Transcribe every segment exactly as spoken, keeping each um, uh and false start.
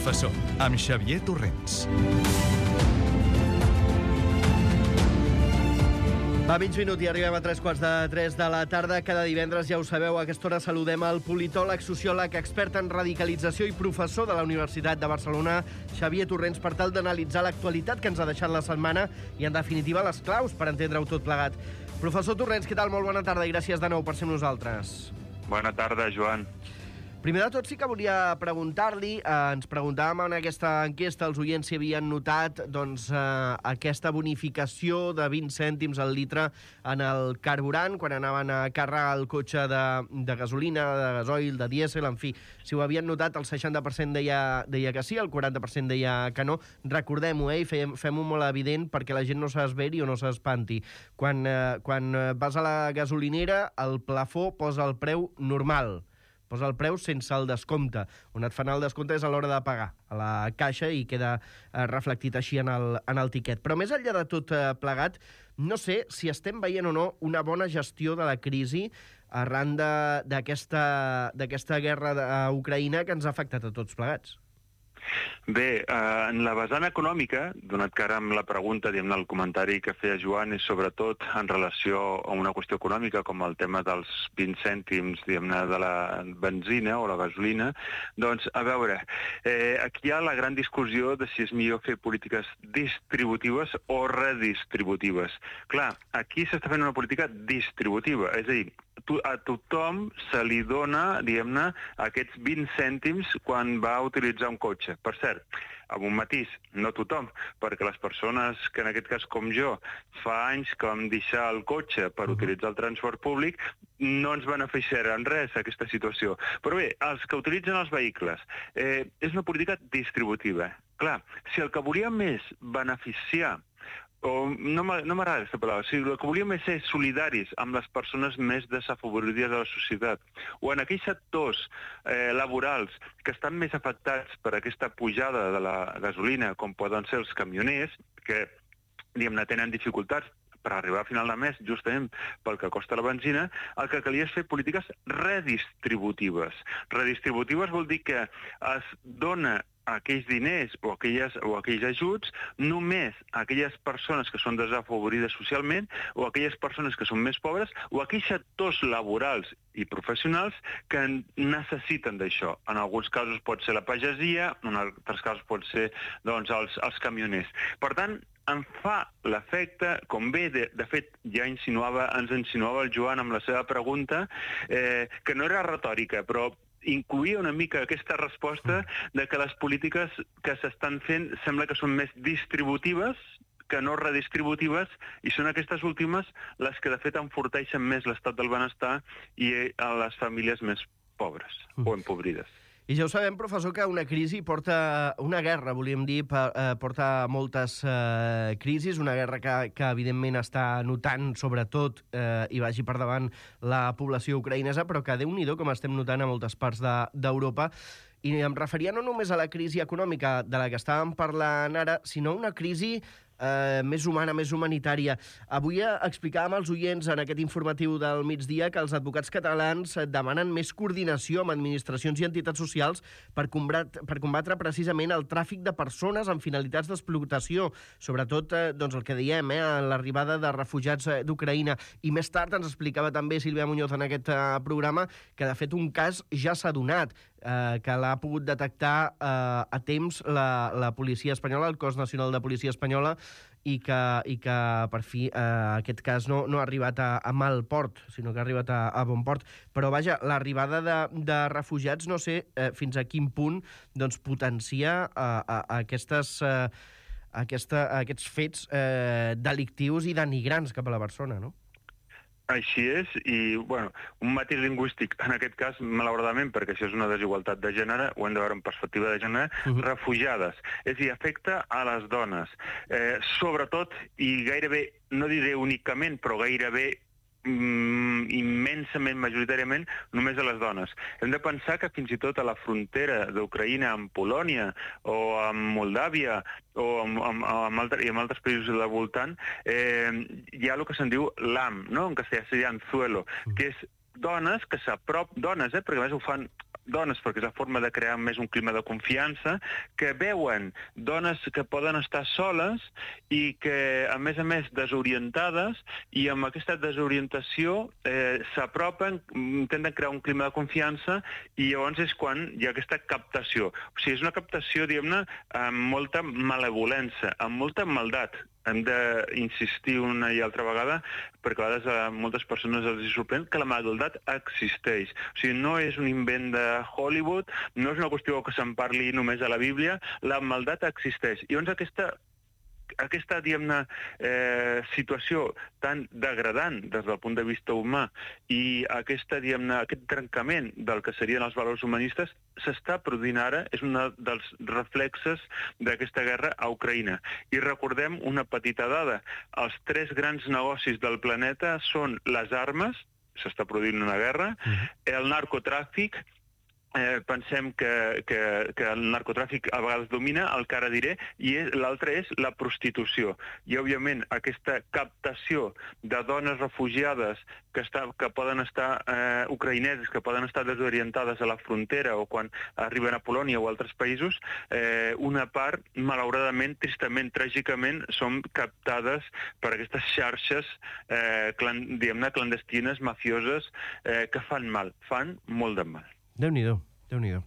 Professor, amb Xavier Torrents. Va mig minut i arribem a tres quarts de tres de la tarda. Cada divendres, ja ho sabeu, a aquesta hora saludem el politòleg, sociòleg, expert en radicalització i professor de la Universitat de Barcelona, Xavier Torrents, per tal d'analitzar l'actualitat que ens ha deixat la setmana i, en definitiva, les claus per entendre-ho tot plegat. Professor Torrents, què tal? Molt bona tarda i gràcies de nou per ser amb nosaltres. Bona tarda, Joan. Primer de tot, sí que volia preguntar-li, eh, ens preguntàvem en aquesta enquesta, els oients si havien notat doncs, eh, aquesta bonificació de vint cèntims al litre en el carburant, quan anaven a carregar el cotxe de, de gasolina, de gasoil, de dièsel, en fi. Si ho havien notat, el seixanta per cent deia, deia que sí, el quaranta per cent deia que no. Recordem-ho, eh, i fem, fem-ho molt evident perquè la gent no s'esveri o no s'espanti. Quan, eh, quan vas a la gasolinera, el plafó posa el preu normal, posa el preu sense el descompte. On et fan el descompte és a l'hora de pagar a la caixa i queda eh, reflectit així en el, en el tiquet. Però més enllà de tot eh, plegat, no sé si estem veient o no una bona gestió de la crisi arran d'aquesta d'aquesta guerra a Ucraïna que ens ha afectat a tots plegats. Bé, eh, en la vessant econòmica, donat que ara amb la pregunta, diguem-ne, el comentari que feia Joan és sobretot en relació a una qüestió econòmica, com el tema dels vint cèntims, diguem-ne, de la benzina o la gasolina, doncs, a veure, eh, aquí hi ha la gran discussió de si és millor fer polítiques distributives o redistributives. Clar, aquí s'està fent una política distributiva, és a dir, a tothom se li dona, diguem-ne, aquests vint cèntims quan va utilitzar un cotxe. Per cert, amb un matís, no tothom, perquè les persones que en aquest cas com jo fa anys que vam deixar el cotxe per utilitzar el transport públic no ens beneficiarà en res aquesta situació. Però bé, els que utilitzen els vehicles, eh, és una política distributiva. Clar, si el que volíem és beneficiar o no m'agrada aquesta paraula, o sigui, el que volíem és ser solidaris amb les persones més desafavorides de la societat, o en aquells sectors eh, laborals que estan més afectats per aquesta pujada de la gasolina, com poden ser els camioners, que diguem-ne tenen dificultats per arribar a final de mes, justament pel que costa la benzina, el que calia és fer polítiques redistributives. Redistributives vol dir que es dona aquells diners o, aquelles, o aquells ajuts només a aquelles persones que són desafavorides socialment o a aquelles persones que són més pobres o a aquells sectors laborals i professionals que necessiten d'això. En alguns casos pot ser la pagesia, en altres casos pot ser doncs, els, els camioners. Per tant, em fa l'efecte, com bé, de, de fet, ja insinuava, ens insinuava el Joan amb la seva pregunta, eh, que no era retòrica, però incloïa una mica aquesta resposta de que les polítiques que s'estan fent sembla que són més distributives que no redistributives, i són aquestes últimes les que de fet enforteixen més l'estat del benestar i a les famílies més pobres o empobrides. I ja ho sabem, professor, que una crisi porta... Una guerra, volíem dir, porta moltes eh, crisis, una guerra que, que evidentment està notant, sobretot, eh, i vagi per davant la població ucraïnesa, però que, Déu-n'hi-do, com estem notant a moltes parts d'Europa. I em referia no només a la crisi econòmica de la que estàvem parlant ara, sinó a una crisi eh, més humana, més humanitària. Avui explicàvem als oients en aquest informatiu del migdia que els advocats catalans demanen més coordinació amb administracions i entitats socials per combatre, per combatre precisament el tràfic de persones amb finalitats d'explotació, sobretot eh, doncs el que diem, eh, l'arribada de refugiats d'Ucraïna. I més tard ens explicava també Sílvia Muñoz en aquest eh, programa que, de fet, un cas ja s'ha donat, eh, que l'ha pogut detectar eh, a temps la, la policia espanyola, el Cos Nacional de Policia Espanyola, i que, i que per fi eh, aquest cas no, no ha arribat a, a mal port, sinó que ha arribat a, a bon port. Però vaja, l'arribada de, de refugiats no sé eh, fins a quin punt doncs, potencia eh, a, a aquestes, eh, aquesta, a aquests fets eh, delictius i denigrants cap a la persona, no? Així és, i bueno, un matís lingüístic, en aquest cas, malauradament, perquè això és una desigualtat de gènere, ho hem de veure en perspectiva de gènere, uh-huh. refugiades. És a dir, afecta a les dones. Eh, sobretot, i gairebé, no diré únicament, però gairebé mm, immensament, majoritàriament, només a les dones. Hem de pensar que fins i tot a la frontera d'Ucraïna amb Polònia o amb Moldàvia o amb, amb, amb, altres, i amb altres països del voltant, eh, hi ha el que se'n diu l'A M, no? En castellà seria anzuelo, que és dones que s'aprop, dones, eh, perquè a més ho fan dones, perquè és la forma de crear més un clima de confiança, que veuen dones que poden estar soles i que, a més a més, desorientades, i amb aquesta desorientació eh, s'apropen, intenten crear un clima de confiança, i llavors és quan hi ha aquesta captació. O sigui, és una captació, diguem-ne, amb molta malevolència, amb molta maldat. Hem d'insistir una i altra vegada, perquè a vegades a moltes persones els sorprèn que la maldat existeix. O sigui, no és un invent de Hollywood, no és una qüestió que se'n parli només a la Bíblia, la maldat existeix. I llavors aquesta aquesta, diguem-ne, eh, situació tan degradant des del punt de vista humà i aquesta, diguem-ne, aquest trencament del que serien els valors humanistes s'està produint ara, és un dels reflexes d'aquesta guerra a Ucraïna. I recordem una petita dada. Els tres grans negocis del planeta són les armes, s'està produint una guerra, el narcotràfic, Eh, pensem que, que, que el narcotràfic a vegades domina, el que ara diré, i l'altre és la prostitució. I, òbviament, aquesta captació de dones refugiades que, està, que poden estar eh, ucraïneses, que poden estar desorientades a la frontera o quan arriben a Polònia o altres països, eh, una part, malauradament, tristament, tràgicament, són captades per aquestes xarxes eh, clan, diguem-ne, clandestines, mafioses, eh, que fan mal, fan molt de mal. Déu-n'hi-do, Déu-n'hi-do.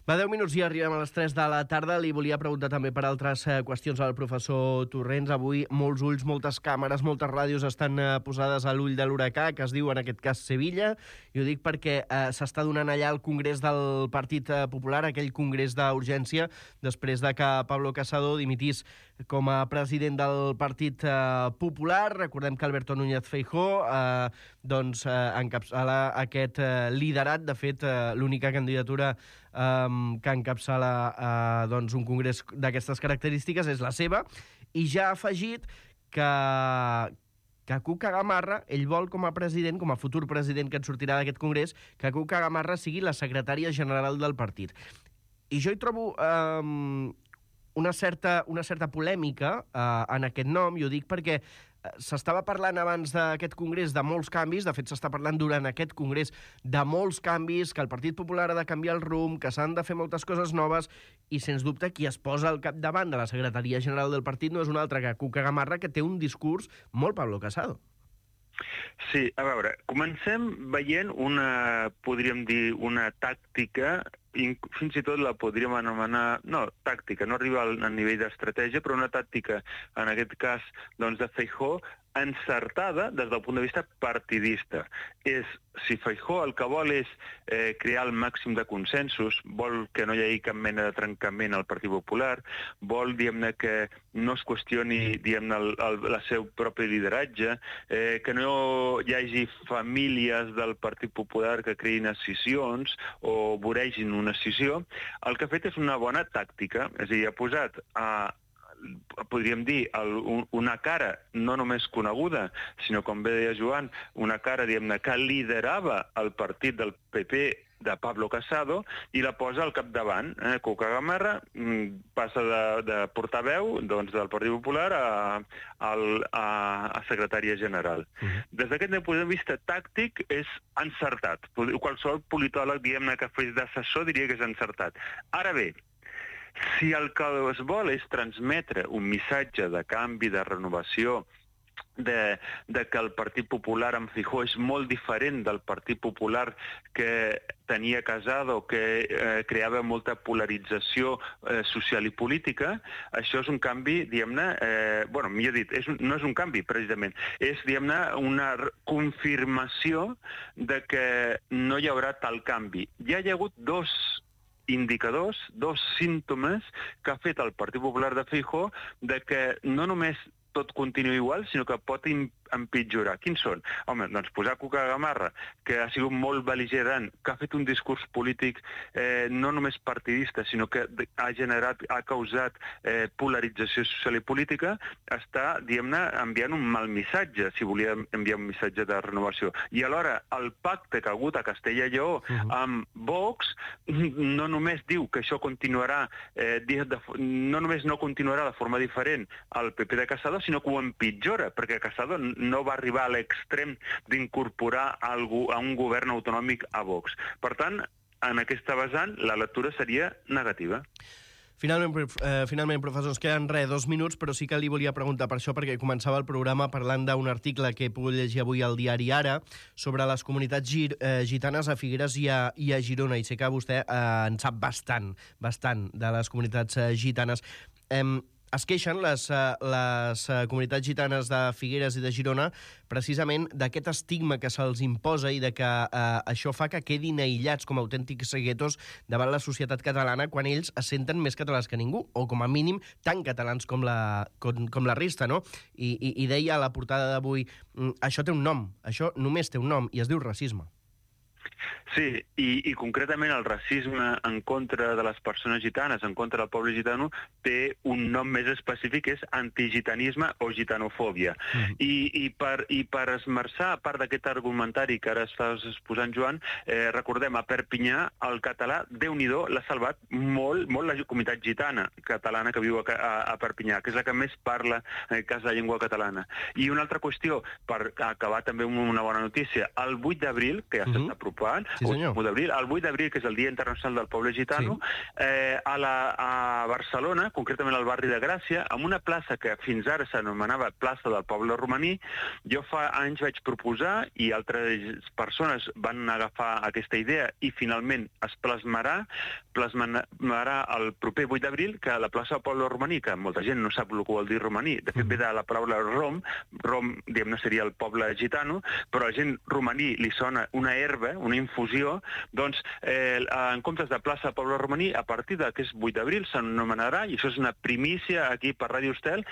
Va, deu minuts i arribem a les tres de la tarda. Li volia preguntar també per altres eh, qüestions al professor Torrents. Avui molts ulls, moltes càmeres, moltes ràdios estan eh, posades a l'ull de l'huracà, que es diu en aquest cas Sevilla. I ho dic perquè eh, s'està donant allà el congrés del Partit Popular, aquell congrés d'urgència, després de que Pablo Casado dimitís com a president del Partit eh, Popular. Recordem que Alberto Núñez Feijóo eh, doncs, eh, encapçala aquest eh, liderat. De fet, eh, l'única candidatura Um, que encapçala uh, doncs un congrés d'aquestes característiques és la seva, i ja ha afegit que, que Cuca Gamarra, ell vol com a president, com a futur president que en sortirà d'aquest congrés, que Cuca Gamarra sigui la secretària general del partit. I jo hi trobo um, una, certa, una certa polèmica uh, en aquest nom, i ho dic perquè s'estava parlant abans d'aquest congrés de molts canvis, de fet s'està parlant durant aquest congrés de molts canvis, que el Partit Popular ha de canviar el rumb, que s'han de fer moltes coses noves, i sens dubte qui es posa al capdavant de la secretaria general del partit no és un altre que Cuca Gamarra, que té un discurs molt Pablo Casado. Sí, a veure, comencem veient una, podríem dir, una tàctica, fins i tot la podríem anomenar, no, tàctica, no arriba al, al nivell d'estratègia, però una tàctica, en aquest cas, doncs, de Feijóo, encertada des del punt de vista partidista. És, si Feijóo el que vol és eh, crear el màxim de consensos, vol que no hi hagi cap mena de trencament al Partit Popular, vol, diguem-ne, que no es qüestioni, diguem-ne, el, el, el seu propi lideratge, eh, que no hi hagi famílies del Partit Popular que creïn escissions o voregin una escissió. El que ha fet és una bona tàctica, és a dir, ha posat a podríem dir, el, una cara no només coneguda, sinó, com bé deia Joan, una cara, diguem-ne, que liderava el partit del P P de Pablo Casado i la posa al capdavant. Eh? Cuca Gamarra passa de, de portaveu doncs, del Partit Popular a, a, a, a secretària general. Uh-huh. Des d'aquest punt de vista tàctic és encertat. Qualsevol politòleg, diguem-ne, que fes d'assessor diria que és encertat. Ara bé, si el que es vol és transmetre un missatge de canvi, de renovació, de, de que el Partit Popular amb Feijóo és molt diferent del Partit Popular que tenia Casado, que eh, creava molta polarització eh, social i política, això és un canvi, diguem-ne, eh, bueno, millor dit, és un, no és un canvi, precisament, és, diguem-ne, una confirmació de que no hi haurà tal canvi. Ja hi ha hagut dos indicadors, dos símptomes que ha fet el Partit Popular de Feijóo de que no només tot continua igual, sinó que pot empitjorar. Quins són? Home, doncs posar Cuca Gamarra, que ha sigut molt bel·ligerant, que ha fet un discurs polític eh, no només partidista, sinó que ha generat, ha causat eh, polarització social i política, està, diguem-ne, enviant un mal missatge, si volia enviar un missatge de renovació. I alhora, el pacte que ha hagut a Castella i Lleó uh-huh. amb Vox no només diu que això continuarà, eh, de, no només no continuarà de forma diferent al P P de Casado, sinó que ho empitjora, perquè Casado no va arribar a l'extrem d'incorporar a un govern autonòmic a Vox. Per tant, en aquesta vessant la lectura seria negativa. Finalment, eh, finalment, professor, ens queden res, dos minuts, però sí que li volia preguntar per això, perquè començava el programa parlant d'un article que he pogut llegir avui al diari Ara sobre les comunitats gir, eh, gitanes a Figueres i a, i a Girona, i sé que vostè eh, en sap bastant, bastant de les comunitats eh, gitanes. Eh, es queixen les, les comunitats gitanes de Figueres i de Girona precisament d'aquest estigma que se'ls imposa i de que eh, això fa que quedin aïllats com a autèntics guetos davant la societat catalana quan ells es senten més catalans que ningú, o com a mínim tan catalans com la, com, com la resta, no? I, i, i deia a la portada d'avui, això té un nom, això només té un nom, i es diu racisme. Sí, i, i concretament el racisme en contra de les persones gitanes, en contra del poble gitano, té un nom més específic, que és antigitanisme o gitanofòbia. Mm. I, i, per, I per esmerçar, a part d'aquest argumentari que ara estàs exposant, Joan, eh, recordem, a Perpinyà el català, Déu-n'hi-do, l'ha salvat molt, molt la comunitat gitana catalana que viu a, a, a Perpinyà, que és la que més parla en el cas de la llengua catalana. I una altra qüestió, per acabar també amb una bona notícia, el vuit d'abril, que ja mm-hmm. s'està apropant, sí, senyor. d'abril, el vuit d'abril, que és el Dia Internacional del Poble Gitano, sí. eh, a, la, a Barcelona, concretament al barri de Gràcia, en una plaça que fins ara s'anomenava Plaça del Poble Romaní, jo fa anys vaig proposar i altres persones van agafar aquesta idea i finalment es plasmarà, plasmarà el proper vuit d'abril que la plaça del Poble Romaní, que molta gent no sap el que vol dir romaní, de fet ve de la paraula rom, rom, diguem-ne, seria el poble gitano, però a la gent romaní li sona una herba, una infusió, doncs eh, en comptes de plaça del Poble Romaní, a partir d'aquest vuit d'abril s'anomenarà, i això és una primícia aquí per Ràdio Estel,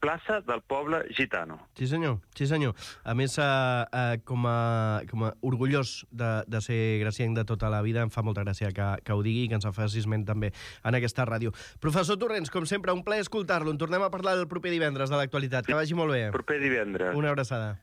plaça del Poble Gitano. Sí senyor, sí senyor. A més, eh, eh, com, a, com a orgullós de, de ser gracienc de tota la vida, em fa molta gràcia que, que ho digui i que ens faci esment també en aquesta ràdio. Professor Torrents, com sempre, un plaer escoltar-lo. En tornem a parlar el proper divendres de l'actualitat. Que vagi molt bé. Proper divendres. Una abraçada.